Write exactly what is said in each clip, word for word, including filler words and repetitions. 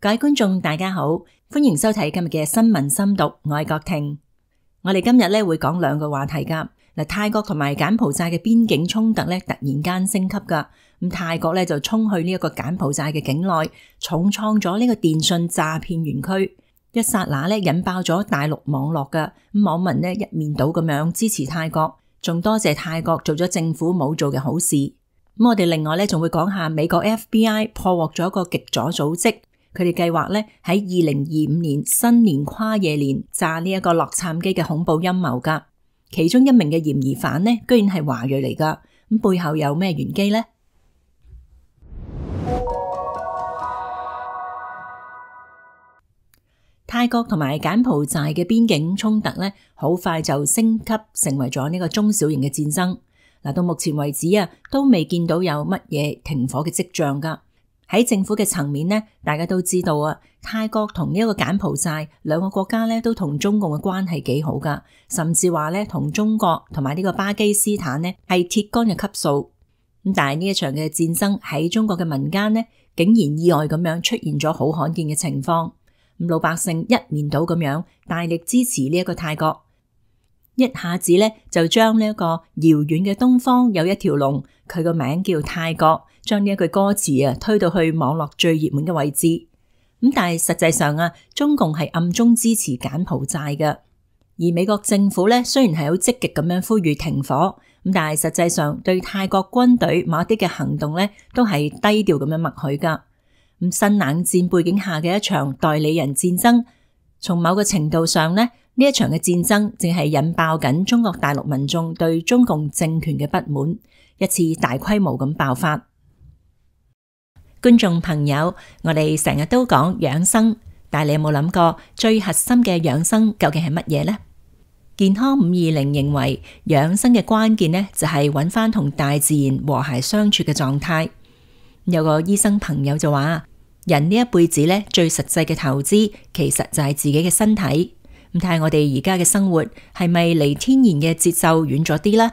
各位觀眾大家好，歡迎收睇今日嘅新聞深讀，我係郭婷。我哋今日咧會講兩個話題噶。嗱，泰國同埋柬埔寨嘅邊境衝突咧突然間升級噶，咁泰國咧就衝去呢一個柬埔寨嘅境內，重創咗呢個電信詐騙園區，一剎那咧引爆咗大陸網絡噶，咁網民咧一面倒咁樣支持泰國，仲多謝泰國做咗政府冇做嘅好事。咁我哋另外咧仲會講下美國 F B I 破獲咗一個極左組織。佢哋計劃咧喺二零二五年新年跨夜年炸呢一個洛杉磯嘅恐怖陰謀噶，其中一名嘅嫌疑犯呢，居然係華裔嚟噶，咁背後有咩玄機呢？泰國同埋柬埔寨嘅邊境衝突咧，好快就升級成為咗呢個中小型嘅戰爭。嗱，到目前為止啊，都未見到有乜嘢停火嘅跡象噶。喺政府嘅層面呢，大家都知道啊，泰國同呢一個柬埔寨兩個國家咧都同中共嘅關係幾好噶，甚至話咧同中國同埋呢個巴基斯坦呢係鐵桿嘅級數。咁但係呢一場嘅戰爭喺中國嘅民間呢，竟然意外咁樣出現咗好罕見嘅情況。咁老百姓一面倒咁樣大力支持呢一個泰國，一下子咧就將呢一個遙遠嘅東方有一條龍，佢個名叫泰國，將呢一句歌詞啊推到去網絡最熱門嘅位置。咁但係實際上啊，中共係暗中支持柬埔寨嘅，而美國政府咧雖然係好積極咁樣呼籲停火，咁但係實際上對泰國軍隊某啲嘅行動咧都係低調咁樣默許噶。咁新冷戰背景下嘅一場代理人戰爭，從某個程度上咧，呢一場嘅戰爭正係引爆緊中國大陸民眾對中共政權嘅不滿，一次大規模咁爆發。觀眾朋友，我哋成日都講養生，但係你有冇諗過最核心嘅養生究竟係乜嘢呢？健康五二零認為養生嘅關鍵呢，就係揾翻同大自然和諧相處嘅狀態。有個醫生朋友就話，人呢一輩子呢，最實際嘅投資其實就係自己嘅身體。咁睇下我哋而家嘅生活係咪離天然嘅節奏遠咗啲呢？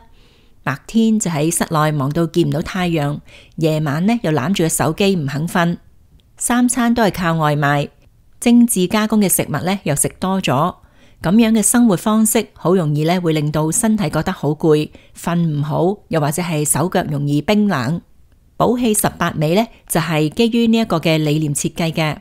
白天就喺室內忙到見唔到太陽，夜晚呢又攬住個手機唔肯瞓，三餐都係靠外賣，精緻加工嘅食物呢又食多咗，咁樣嘅生活方式好容易呢會令到身體覺得好攰，瞓唔好，又或者係手腳容易冰冷。補氣十八味呢就係基於呢一個嘅理念設計嘅，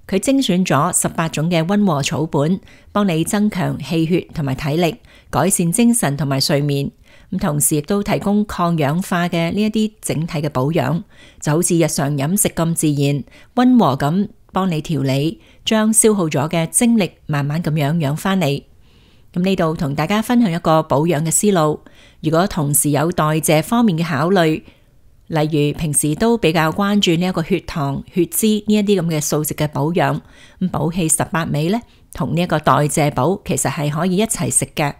佢精選咗十八種嘅溫和草本，幫你增強氣血同埋體力，改善精神同埋睡眠。咁同時亦都提供抗氧化嘅呢一啲整體嘅保養，就好似日常飲食咁自然，溫和咁幫你調理，將消耗咗嘅精力慢慢咁樣養翻嚟。咁呢度同大家分享一個保養嘅思路，如果同時有代謝方面嘅考慮，例如平時都比較關注呢一個血糖、血脂呢一啲咁嘅素食嘅保養，咁補氣十八味呢，同呢一個代謝補其實係可以一齊食嘅。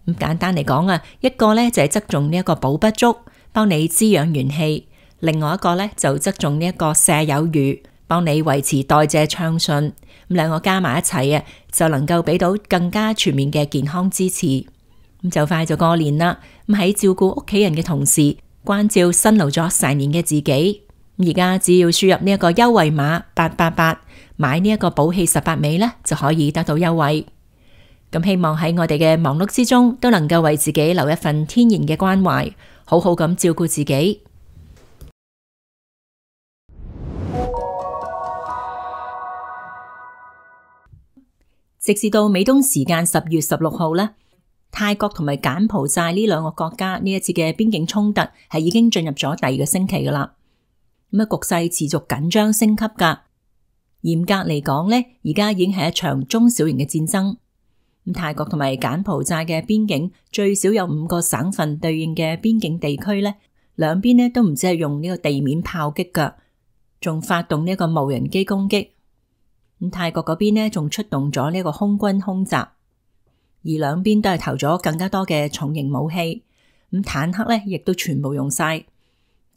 咁簡單嚟講啊，一個呢就係側重呢一個補不足，幫你滋養元氣；另外一個呢就側重呢一個瀉有餘，幫你維持代謝暢順。咁兩個加埋一齊啊，就能夠俾到更加全面嘅健康支持。咁就快就過年啦，咁喺照顧屋企人嘅同時，關照辛勞咗成年嘅自己，而家只要輸入呢一個優惠碼八八八，買呢一個補氣十八味呢，就可以得到優惠。咁希望喺我哋嘅忙碌之中，都能夠為自己留一份天然嘅關懷，好好咁照顧自己。直至到美東時間十月十六號呢，泰國同埋柬埔寨呢兩個國家呢一次嘅邊境衝突係已經進入咗第二個星期噶啦。咁啊，局勢持續緊張升級噶。嚴格嚟講呢，而家已經係一場中小型嘅戰爭。咁泰國同埋柬埔寨嘅邊境最少有五個省份對應嘅邊境地區呢，兩邊呢都唔止係用呢個地面炮擊噶，仲發動呢個無人機攻擊。咁泰國嗰邊呢仲出動咗呢個空軍空襲，而兩邊都係投咗更加多嘅重型武器。咁坦克呢亦都全部用晒。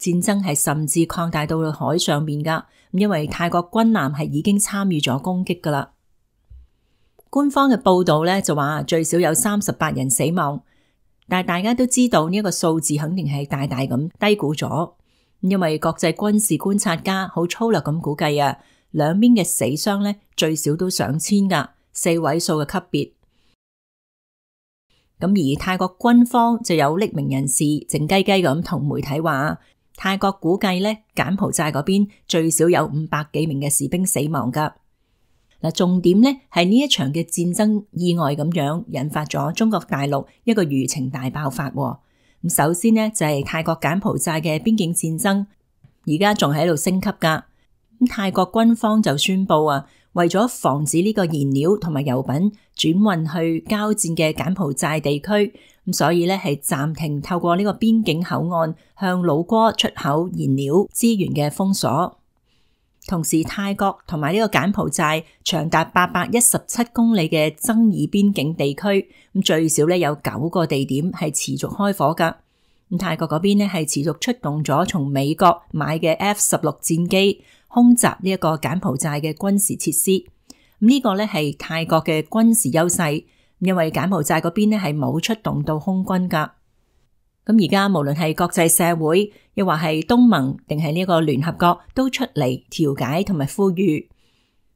戰爭係甚至擴大到海上面噶，因為泰國軍艦係已經參與咗攻擊噶啦。官方嘅報道咧就話最少有三十八人死亡，但係大家都知道呢一個數字肯定係大大咁低估咗，因為國際軍事觀察家好粗略咁估計啊，兩邊嘅死傷咧最少都上千噶，四位數嘅級別。咁而泰國軍方就有匿名人士靜雞雞咁同媒體話，泰國估計咧柬埔寨嗰邊最少有五百幾名嘅士兵死亡噶。嗱，重點咧係呢一場嘅戰爭意外咁樣引發咗中國大陸一個輿情大爆發。咁首先呢，就係泰國柬埔寨嘅邊境戰爭，而家仲喺度升級噶。咁泰國軍方就宣布啊，為咗防止呢個燃料同埋油品轉運去交戰嘅柬埔寨地區，咁所以咧係暫停透過呢個邊境口岸向老撾出口燃料資源嘅封鎖。同時，泰國同埋呢個柬埔寨長達八百一十七公里嘅爭議邊境地區，咁最少咧有九個地點係持續開火噶。咁泰國嗰邊咧係持續出動咗從美國買嘅 F 十六戰機空襲呢一個柬埔寨嘅軍事設施。咁呢個咧係泰國嘅軍事優勢，因為柬埔寨嗰邊咧係冇出動到空軍噶。咁而家無論係國際社會，又或係東盟定係呢個聯合國，都出嚟調解同埋呼籲，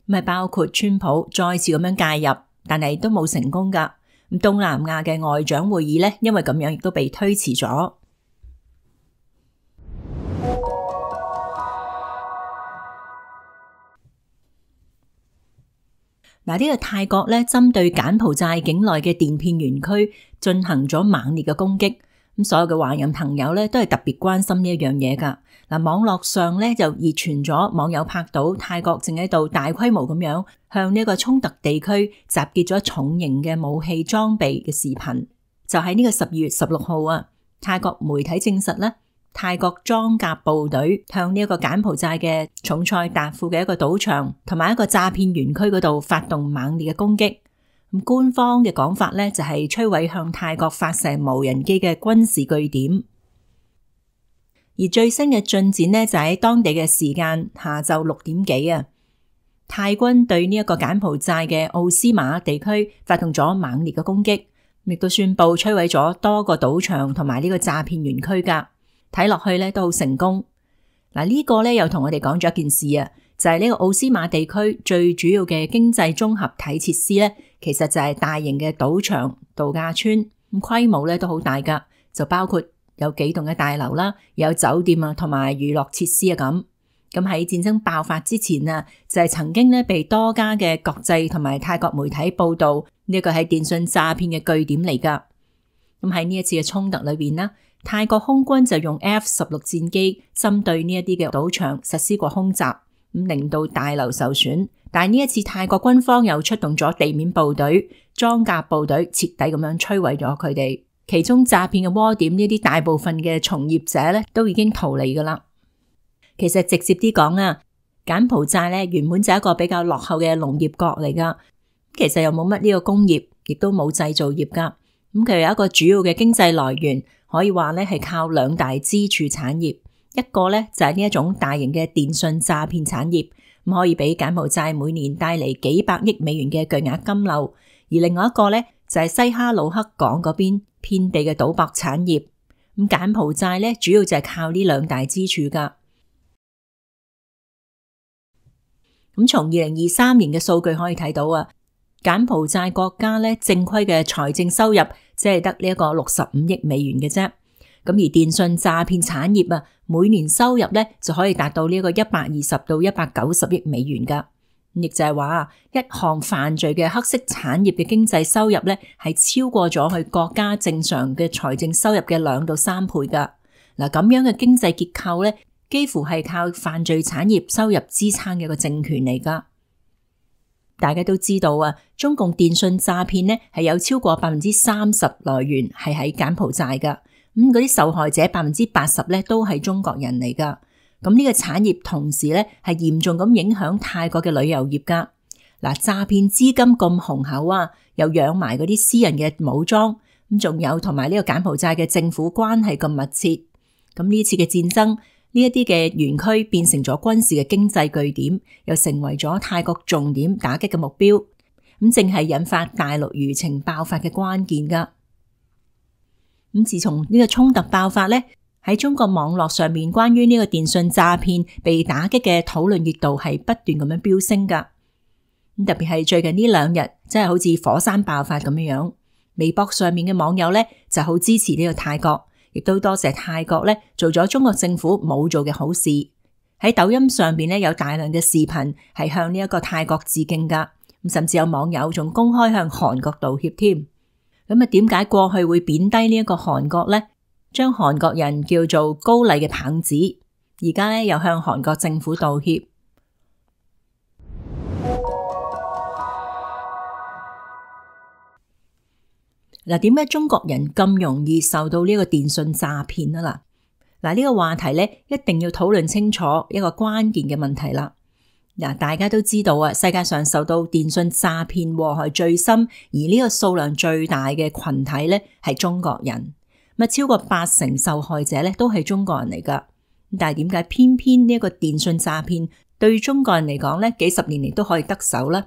咁係包括川普再次咁樣介入，但係都冇成功噶。咁東南亞嘅外長會議咧，因為咁樣亦都被推遲咗。嗱，呢個泰國咧針對柬埔寨境內嘅電片園區進行咗猛烈嘅攻擊。咁所有嘅華人朋友咧都係特別關心呢一樣嘢噶。嗱，網絡上咧就熱傳咗網友拍到泰國正喺度大規模咁樣向呢個衝突地區集結咗重型嘅武器裝備嘅視頻。就喺呢個十二月十六號啊，泰國媒體證實咧，泰國裝甲部隊向呢一個柬埔寨嘅重賽達富嘅一個賭場同埋一個詐騙園區嗰度發動猛烈嘅攻擊。咁官方嘅講法咧就係摧毀向泰國發射無人機嘅軍事據點。而最新嘅進展呢，就喺當地嘅時間下晝六點幾啊，泰軍對呢一個柬埔寨嘅奧斯馬地區發動咗猛烈嘅攻擊，亦都宣布摧毀咗多個賭場同埋呢個詐騙園區噶。睇落去咧都好成功。嗱，呢個咧又同我哋講咗一件事啊，就係呢個奧斯馬地區最主要嘅經濟綜合體設施咧，其實就係大型嘅賭場、度假村，咁規模咧都好大噶，就包括有幾棟嘅大樓啦，有酒店啊，同埋娛樂設施啊咁。咁喺戰爭爆發之前啊，就係曾經咧被多家嘅國際同埋泰國媒體報道呢個係電信詐騙嘅據點嚟噶。咁喺呢一次嘅衝突裏邊啦，泰國空軍就用 F 十六戰機針對呢一啲嘅賭場實施過空襲，咁令到大樓受損。但係呢一次泰國軍方又出動咗地面部隊、裝甲部隊，徹底咁樣摧毀咗佢哋。其中詐騙嘅窩點呢啲大部分嘅從業者咧都已經逃離噶啦。其實直接啲講啊，柬埔寨咧原本就係一個比較落後嘅農業國嚟噶，其實又冇乜呢個工業，亦都冇製造業噶。咁佢有一個主要嘅經濟來源，可以話咧係靠兩大支柱產業，一個咧就係呢一種大型嘅電信詐騙產業，咁可以俾柬埔寨每年帶嚟幾百億美元嘅巨額金流；而另外一個咧就係西哈努克港嗰邊遍地嘅賭博產業。咁柬埔寨咧主要就係靠呢兩大支柱噶。咁從二零二三年嘅數據可以睇到啊，柬埔寨國家咧正規嘅財政收入只係得呢一個六十五億美元嘅啫。咁而電信詐騙產業啊，每年收入咧就可以達到呢一個一百二十到一百九十億美元噶。亦就係話一項犯罪嘅黑色產業嘅經濟收入咧係超過咗佢國家正常嘅財政收入嘅兩到三倍噶。嗱，咁樣嘅經濟結構咧，幾乎係靠犯罪產業收入支撐嘅一個政權嚟噶。大家都知道啊，中共電信詐騙呢係有超過百分之三十來源係喺柬埔寨噶。咁嗰啲受害者百分之八十咧都係中國人嚟噶。咁呢個產業同時咧係嚴重咁影響泰國嘅旅遊業噶。嗱，詐騙資金咁雄厚啊，又養埋嗰啲私人嘅武裝，咁仲有同埋呢個柬埔寨嘅政府關係咁密切。咁呢次嘅戰爭，呢一啲嘅園區變成咗軍事嘅經濟據點，又成為咗泰國重點打擊嘅目標。咁正係引發大陸輿情爆發嘅關鍵噶。咁自從呢個衝突爆發咧，喺中國網絡上面關於呢個電信詐騙被打擊嘅討論熱度係不斷咁樣飆升噶。咁特別係最近呢兩日，真係好似火山爆發咁樣樣。微博上面嘅網友咧就好支持呢個泰國，亦都多謝泰國咧做咗中國政府冇做嘅好事。喺抖音上邊咧有大量嘅視頻係向呢一個泰國致敬噶，咁甚至有網友仲公開向韓國道歉添。咁啊，點解過去會貶低呢一個韓國咧？將韓國人叫做高麗嘅棒子，而家咧又向韓國政府道歉。嗱，點解中國人咁容易受到呢個電信詐騙啊？嗱，嗱呢個話題咧一定要討論清楚一個關鍵嘅問題啦。嗱，大家都知道啊，世界上受到電信詐騙禍害最深，而呢個數量最大嘅群體咧係中國人。咁超過八成受害者咧都係中國人嚟噶，但係點解偏偏呢一個電信詐騙對中國人嚟講咧幾十年嚟都可以得手咧？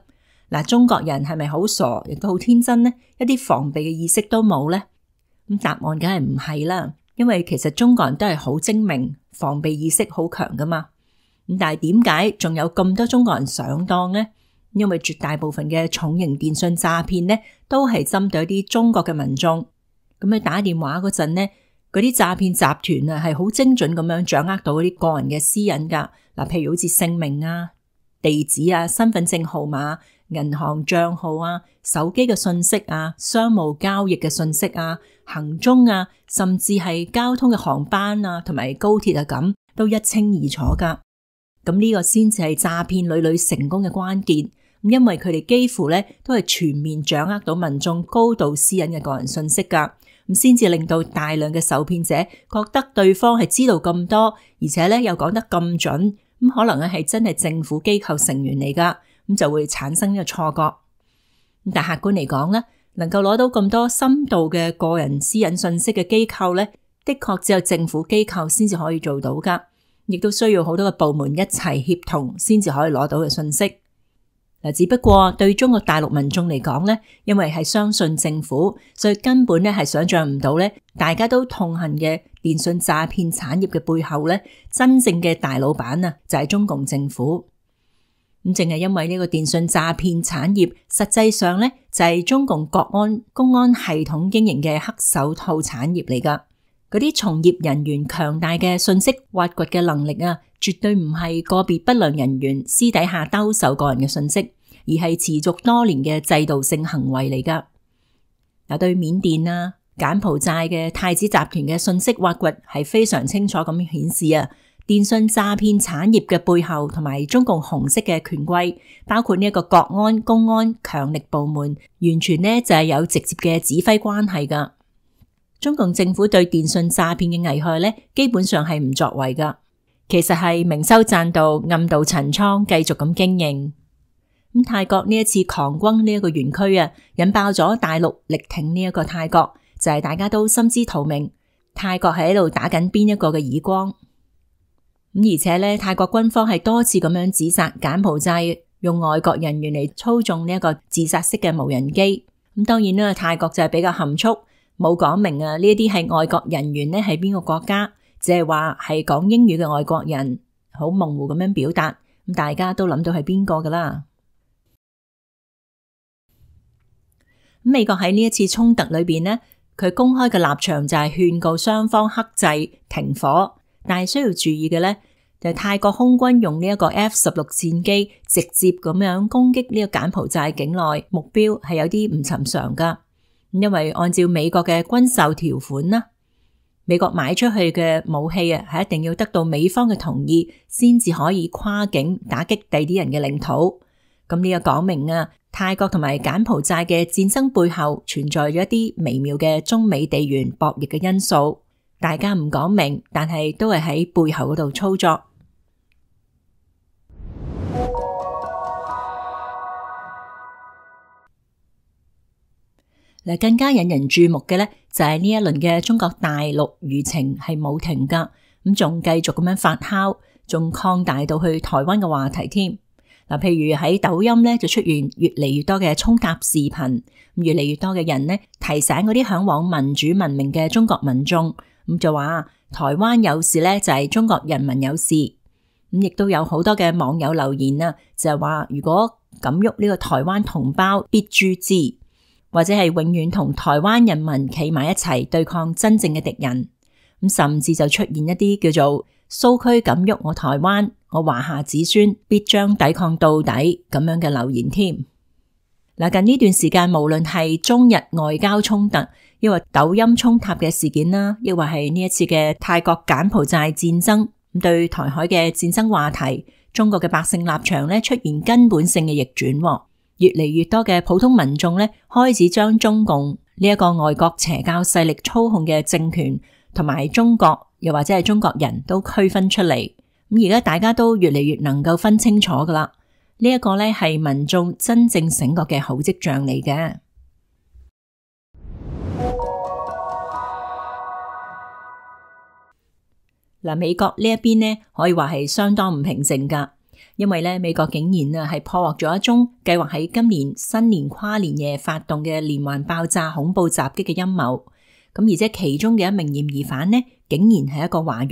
嗱，中國人係咪好傻，亦都好天真呢？一啲防備嘅意識都冇咧？咁答案梗係唔係啦，因為其實中國人都係好精明，防備意識好強噶嘛。咁但係點解仲有咁多中國人上當呢？因為絕大部分嘅重型電信詐騙咧都係針對一啲中國嘅民眾。咁你打電話嗰陣呢，嗰啲詐騙集團啊係好精準咁樣掌握到嗰啲個人嘅私隱噶。嗱，譬如好似姓名啊、地址啊、身份證號碼、銀行賬號啊、手機嘅信息啊、商務交易嘅信息啊、行蹤啊，甚至係交通嘅航班啊同埋高鐵啊咁，都一清二楚噶。咁呢個先至係詐騙屢屢成功嘅關鍵。因為佢哋幾乎咧都係全面掌握到民眾高度私隱嘅個人信息噶，咁先至令到大量嘅受騙者覺得對方係知道咁多，而且咧又講得咁準，咁可能咧係真係政府機構成員嚟噶，咁就會產生呢個錯覺。但客觀嚟講咧，能夠攞到咁多深度嘅個人私隱信息嘅機構咧，的確只有政府機構先至可以做到噶，亦都需要好多個部門一齊協同先至可以攞到嘅信息。嗱，只不過對中國大陸民眾嚟講咧，因為係相信政府，所以根本咧係想象唔到咧，大家都痛恨嘅電信詐騙產業嘅背後咧，真正嘅大老闆啊，就係中共政府。咁正係因為呢個電信詐騙產業，實際上咧就係中共國安公安系統經營嘅黑手套產業嚟噶。嗰啲從業人員強大嘅信息挖掘嘅能力啊，絕對唔係個別不良人員私底下兜售個人嘅信息，而係持續多年嘅制度性行為嚟噶。嗱，對緬甸啊、柬埔寨嘅太子集團嘅信息挖掘係非常清楚咁顯示啊，電信詐騙產業嘅背後同埋中共紅色嘅權貴，包括呢一個國安、公安強力部門，完全呢就係有直接嘅指揮關係噶。中共政府對電信詐騙嘅危害咧，基本上係唔作為噶，其實係明修棧道、暗度陳倉，繼續咁經營。咁泰國呢一次狂轟呢一個園區啊，引爆咗大陸力挺呢一個泰國，就係、是、大家都心知肚明，泰國係喺度打緊邊一個嘅耳光。咁而且咧，泰國軍方係多次咁樣指責柬埔寨用外國人員嚟操縱呢一個自殺式嘅無人機。咁當然啦，泰國就係比較含蓄。冇講明啊，呢一啲係外國人員咧，係邊個國家，只係話係講英語嘅外國人，好模糊咁樣表達，咁大家都諗到係邊個噶啦。咁美國喺呢一次衝突裏邊呢，佢公開嘅立場就係勸告雙方克制停火，但係需要注意嘅咧，就係泰國空軍用呢一個 F 十六戰機直接咁樣攻擊呢個柬埔寨境內目標，係有啲唔尋常噶。因為按照美國嘅軍售條款啦，美國買出去嘅武器啊，係一定要得到美方嘅同意，先至可以跨境打擊第啲人嘅領土。咁呢個講明啊，泰國同埋柬埔寨嘅戰爭背後存在咗一啲微妙嘅中美地緣博弈嘅因素，大家唔講明，但係都係喺背後嗰度操作。更加引人注目嘅咧，就係呢一輪嘅中國大陸輿情係冇停噶，咁仲繼續咁樣發酵，仲擴大到去台灣嘅話題添。嗱，譬如喺抖音咧就出現越嚟越多嘅衝塔視頻，越嚟越多嘅人咧提醒嗰啲嚮往民主文明嘅中國民眾，咁就話台灣有事呢，就係中國人民有事。咁亦都有好多嘅網友留言啊，就係話如果敢喐呢個台灣同胞必誅之，或者係永遠同台灣人民企埋一齊對抗真正嘅敵人。咁甚至就出現一啲叫做蘇區敢喐我台灣，我華夏子孫必將抵抗到底咁樣嘅留言添。嗱，近呢段時間無論係中日外交衝突，抑或抖音衝塔嘅事件啦，抑或係呢一次嘅泰國柬埔寨戰爭，咁對台海嘅戰爭話題，中國嘅百姓立場咧出現根本性嘅逆轉，越嚟越多嘅普通民眾咧開始將中共呢一個外國邪教勢力操控嘅政權同埋中國又或者係中國人都區分出嚟。咁而家大家都越嚟越能夠分清楚噶啦。呢一個咧係民眾真正醒覺嘅好跡象嚟嘅。嗱，美國呢一邊呢可以話係相當唔平靜噶，因為咧美國竟然啊係破獲咗一宗計劃喺今年新年跨年夜發動嘅連環爆炸恐怖襲擊嘅陰謀。咁而且其中嘅一名嫌疑犯呢，竟然係一個華裔。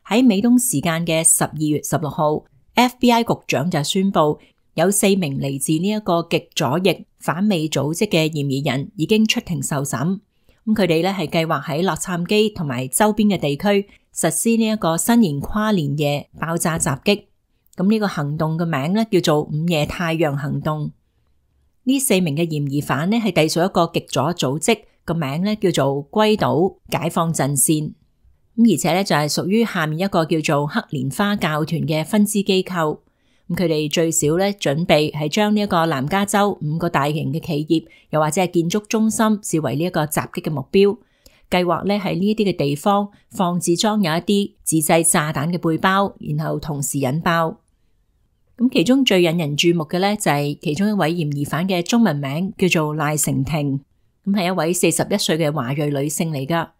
喺美東時間嘅十二月十六號。F B I 局長就宣布有四名嚟自呢一個極左翼反美組織嘅嫌疑人已經出庭受審。咁佢哋咧係計劃喺洛杉磯同埋周邊嘅地區實施呢一個新年跨年夜爆炸襲擊。咁呢個行動嘅名咧叫做午夜太陽行動。呢四名嘅嫌疑犯咧係隸屬一個極左組織，個名咧叫做歸島解放陣線。咁而且咧就係屬於下面一個叫做黑蓮花教團嘅分支機構。咁佢哋最少咧準備係將呢一個南加州五個大型嘅企業，又或者係建築中心視為呢一個襲擊嘅目標。計劃咧喺呢一啲嘅地方放置裝有一啲自製炸彈嘅背包，然後同時引爆。咁其中最引人注目嘅咧就係其中一位嫌疑犯嘅中文名叫做賴成婷，咁係一位四十一歲嘅華裔女性嚟噶。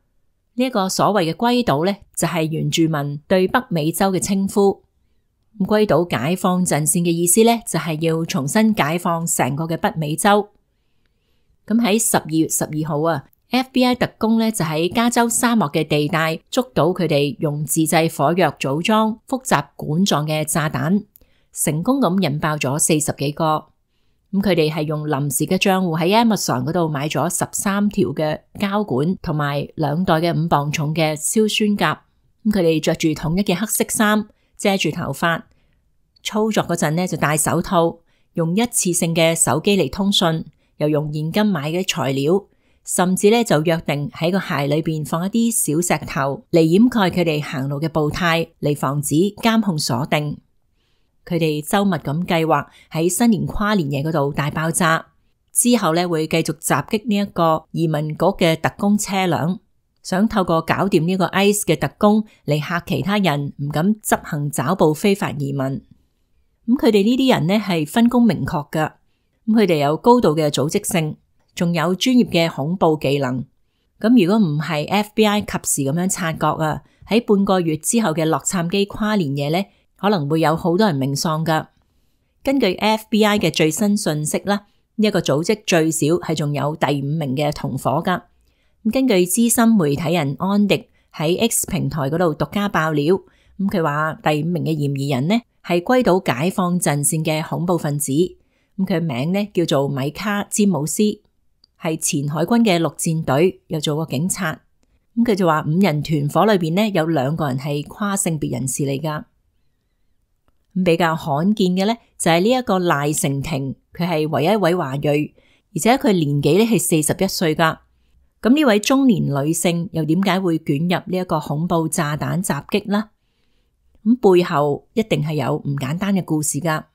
呢一個所謂嘅歸島咧，就係原住民對北美洲嘅稱呼。咁歸島解放陣線嘅意思咧，就係要重新解放成個嘅北美洲。咁喺十二月十二號啊 ，F B I 特工咧就喺加州沙漠嘅地帶捉到佢哋用自製火藥組裝複雜管狀嘅炸彈，成功咁引爆咗四十幾個。咁佢哋係用臨時嘅賬戶喺 Amazon 嗰度買咗十三條嘅膠管，同埋兩袋嘅五磅重嘅硝酸鉀。咁佢哋着住統一嘅黑色衫，遮住頭髮，操作嗰陣呢就戴手套，用一次性嘅手機嚟通訊，又用現金買嘅材料，甚至咧就約定喺個鞋裏邊放一啲小石頭嚟掩蓋佢哋行路嘅步態，嚟防止監控鎖定。佢哋周密咁計劃喺新年跨年夜嗰度大爆炸，之後咧會繼續襲擊呢一個移民局嘅特工車輛，想透過搞掂呢個 I C E 嘅特工嚟嚇其他人唔敢執行抓捕非法移民。咁佢哋呢啲人呢係分工明確噶，咁佢哋有高度嘅組織性，仲有專業嘅恐怖技能。咁如果唔係 F B I 及時咁樣察覺啊，喺半個月之後嘅洛杉磯跨年夜呢，可能會有好多人命喪噶。根據 F B I 嘅最新訊息啦，呢一個組織最少係仲有第五名嘅同伙噶。咁根據資深媒體人安迪喺 X 平台嗰度獨家爆料，咁佢話第五名嘅嫌疑人呢係歸島解放陣線嘅恐怖分子，咁佢名呢叫做米卡詹姆斯，係前海軍嘅陸戰隊，又做過警察。咁佢就話五人團伙裏邊呢有兩個人係跨性別人士嚟噶。比較罕見嘅咧就係呢一個賴成婷，佢係唯一一位華裔，而且佢年紀咧係四十一歲噶。咁呢位中年女性又點解會捲入呢一個恐怖炸彈襲擊呢？咁背後一定係有唔簡單嘅故事噶。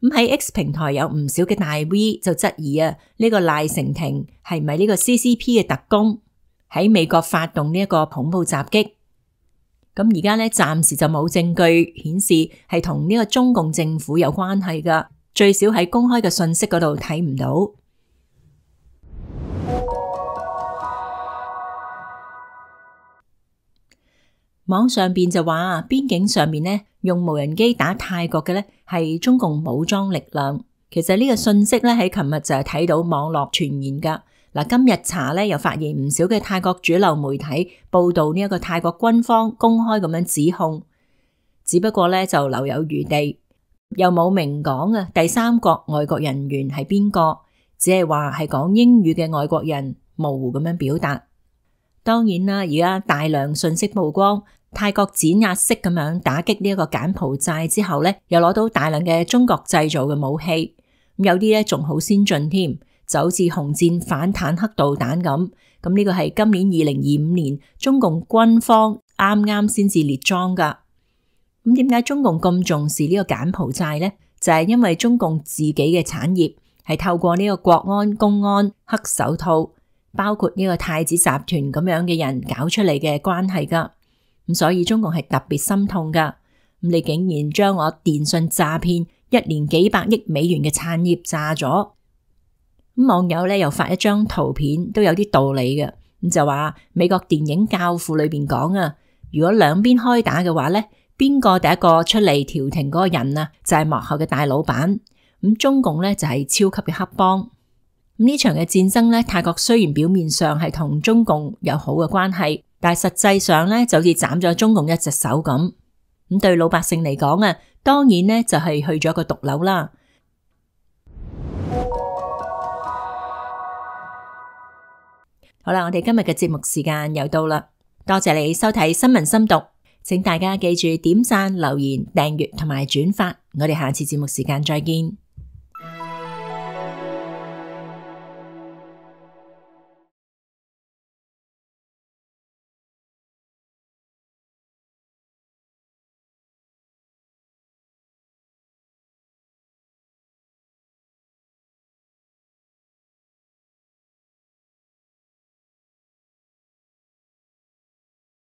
咁喺 X 平台有唔少嘅大 V 就質疑啊，呢個賴成婷係咪呢個 C C P 嘅特工喺美國發動呢一個恐怖襲擊？咁而家咧暫時就冇證據顯示係同呢個中共政府有關係噶，最少喺公開嘅信息嗰度睇唔到。網上邊就話邊境上面呢用無人機打泰國嘅呢係中共武裝力量。其實呢個信息咧喺琴日就係睇到網絡傳言噶。嗱，今日查咧又發現唔少嘅泰國主流媒體報道呢一個泰國軍方公開咁樣指控，只不過咧就留有餘地，又冇明講啊第三國外國人員係邊個，只係話係講英語嘅外國人，模糊咁樣表達。當然啦，而家大量信息曝光，泰國碾壓式咁樣打擊呢一個柬埔寨之後咧，又攞到大量嘅中國製造嘅武器，有啲咧仲好先進添。就好似紅箭反坦克導彈咁，咁呢個係今年二零二五年中共軍方啱啱先至列裝噶。咁點解中共咁重視呢個柬埔寨呢？就係因為中共自己嘅產業係透過呢個國安、公安、黑手套，包括呢個太子集團咁樣嘅人搞出嚟嘅關係噶。咁所以中共係特別心痛噶。咁你竟然將我電信詐騙一年幾百億美元嘅產業炸咗。咁網友咧又發一張圖片，都有啲道理嘅。咁就話美國電影教父裏邊講啊，如果兩邊開打嘅話咧，邊個第一個出嚟調停嗰個人啊，就係幕後嘅大老闆。咁中共咧就係超級嘅黑幫。咁呢場嘅戰爭咧，泰國雖然表面上係同中共有好嘅關係，但係實際上咧就好似斬咗中共一隻手咁。咁對老百姓嚟講啊，當然咧就係去咗個毒瘤啦。好啦，我哋今日嘅節目時間又到啦，多謝你收睇新聞深讀，請大家記住點讚、留言、訂閱同埋轉發，我哋下次節目時間再見。